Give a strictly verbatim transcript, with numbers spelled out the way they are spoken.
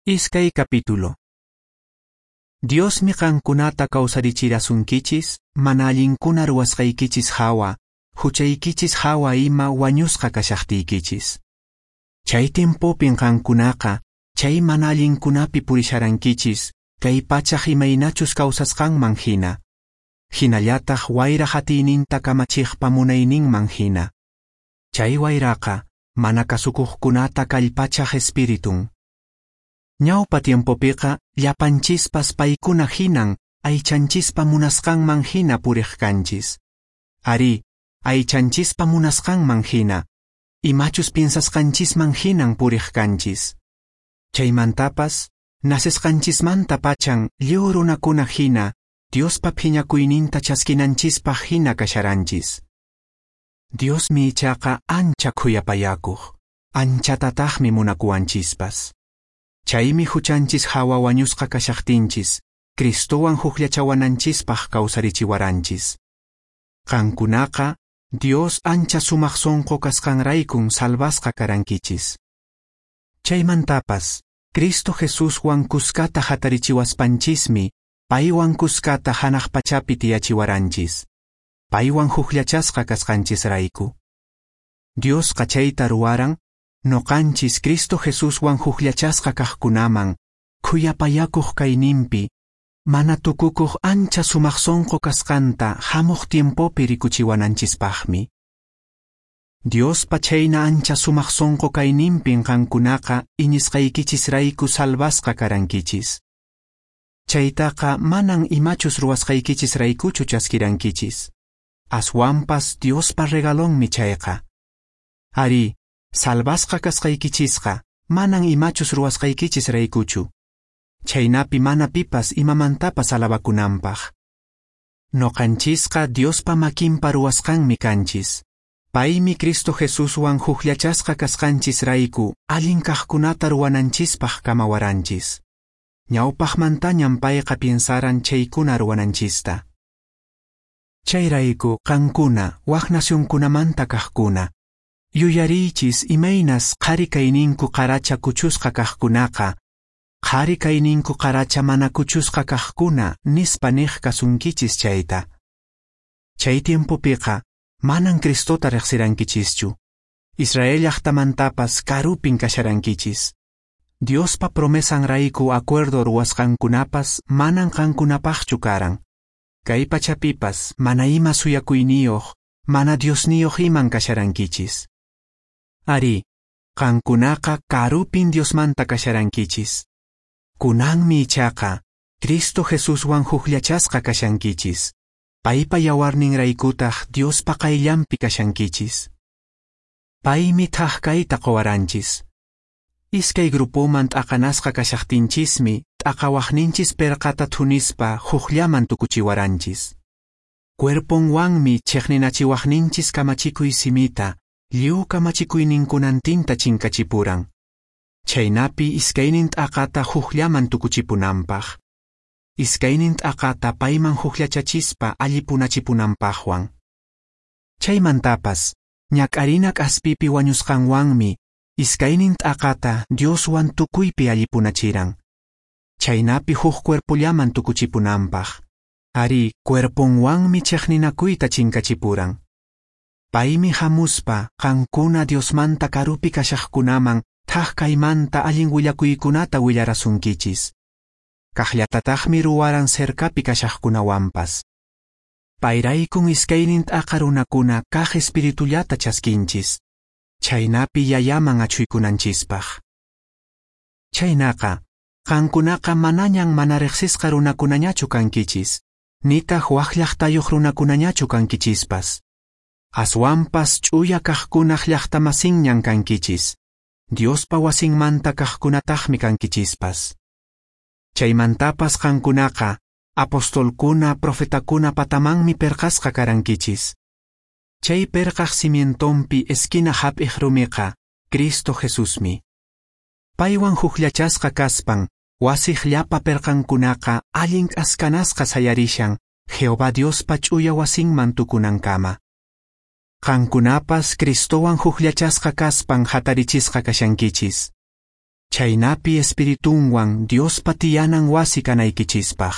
Iskay capítulo. Diosmi qankunata kawsarichirasunkichis mana allinkuna ruwasqaykichis hawa, huchaykichis hawa ima wañusqa kashaqtiykichis. Chay tiempopin qankunaqa chay mana allinkunapi purisharankichis kay pachaq imaynachus kawsasqanman hina, hinallataq wayraq atiyninta kamachiqpa munayninman hina. Chay wayraqa mana kasukuqkunata kallpachaq espiritun. Ñawpa tiempopiqa llapanchispas paykuna hinan aychanchispa munasqanman hina puriq kanchis. Arí, aychanchispa munasqanman hina, imachus piensasqanchisman hinan puriq kanchis. Chaymantapas, nacesqanchismanta pachan lliw runakuna hina, Diospa phiñakuyninta chaskinanchispaq hina kasharanchis. Diosmi ichaqa ancha khuyapayakuq, anchatataqmi munakuwanchispas. Chaymi huchanchis hawa wañusqa kashaqtinchis, Cristowan hukllachawananchispaq kawsarichiwaranchis. Qankunaqa Dios ancha sumaq sonqo kasqanraykun salvasqa karankichis. Chaymantapas, Cristo Jesuswan kuskata hatarichiwaspanchismi, paywan kuskata hanaq pachapi tiyachiwaranchis. Paywan hukllachasqa kasqanchisrayku. Diosqa chayta ruwaran, noqanchis Cristo Jesuswan hukllachasqa kaqkunaman, khuyapayakuq kayninpi, mana tukukuq ancha sumaq sonqo kasqanta hamuq tiempopi rikuchiwananchispaqmi. Diospa chayna ancha sumaq sonqo kayninpin qankunaqa iñisqaykichisrayku salvasqa karankichis. Chaytaqa manan imachus ruwasqaykichisraykuchu chaskirankichis. Aswanpas Diospa regalonmi chayqa. Arí, salvasqa kasqaykichisqa manan imachus ruwasqaykichisraykuchu. Chaynapi mana pipas imamantapas alabakunanpaq. Noqanchisqa Diospa makinpa ruwasqanmi kanchis. Paymi Cristo Jesuswan hukllachasqa kasqanchisrayku allin kaqkunata ruwananchispaq kamawaranchis. Ñawpaqmantañam payqa piensaran chaykuna ruwananchista. Chayrayku qankuna wak nacionkunamanta kaqkuna, yuyariychis imaynas qhari kayninku qaracha kuchusqa kaqkunaqa, qhari kayninku qaracha mana kuchusqa kaqkuna nispa niq kasunkichis chayta. Chay tiempopiqa manan Cristota riqsirankichischu. Israel llaqtamantapas karupin kasharankichis. Diospa promesanrayku acuerdo ruwasqankunapas manan qankunapaqchu karan. Kay pachapipas mana ima suyakuyniyuq, mana Diosniyuq iman kasharankichis. Arí, qankunaqa karupin Diosmanta kasharankichis. Kunanmi ichaqa Cristo Jesuswan hukllachasqa kashankichis. Paypa yawarninraykutaq Diospa qayllanpi kashankichis. Paymi thak kayta quwaranchis. Iskay grupoman t'aqanasqa kashaqtinchismi t'aqawaqninchis perqata thunispa hukllaman tukuchiwaranchis. Cuerponwanmi chiqninachiwaqninchis kamachikuy simita, lliw kamachikuyninkunantinta chinkachipuran. Chaynapi iskaynin t'aqata hukllaman tukuchipunanpaq. Iskaynin t'aqata payman hukllachachispa allipunachipunanpaqwan. Chaymantapas, ñak'arina k'aspipi wañusqanwanmi iskaynin t'aqata Dioswan tukuypi allipunachiran. Chaynapi huk cuerpollaman tukuchipunanpaq. Arí, cuerponwanmi chiqninakuyta chinkachipuran. Paymi hamuspa qankuna Diosmanta karupi kashaqkunaman thak kaymanta allin willakuykunata willarasunkichis. Kaqllatataqmi ruwaran cercapi kashaqkunawanpas. Payraykun iskaynin t'aqa runakuna kaq espiritullata chaskinchis. Chaynapi yayaman achhuykunanchispaq. Chaynaqa, qankunaqa manañan mana riqsisqa runakunañachu kankichis, nitaq wak llaqtayuq runakunañachu kankichispas. Aswanpas ch'uya kaqkunaq llaqtamasinñan kankichis, Diospa wasinmanta kaqkunataqmi kankichispas. Chaymantapas qankunaqa apostolkuna, profetakuna patamanmi perqasqa karankichis. Chay perqaq cimientonpi esquina hap'iq rumiqa Cristo Jesusmi. Paywan hukllachasqa kaspan wasiq llapa perqankunaqa allin k'askanasqa sayarishan Jehová Diospa ch'uya wasinman tukunankama. Qankunapas Cristowan hukllachasqa kaspan hatarichisqa kashankichis. chhaynapi Espiritunwan Diospa tiyanan wasi kanaykichispaq.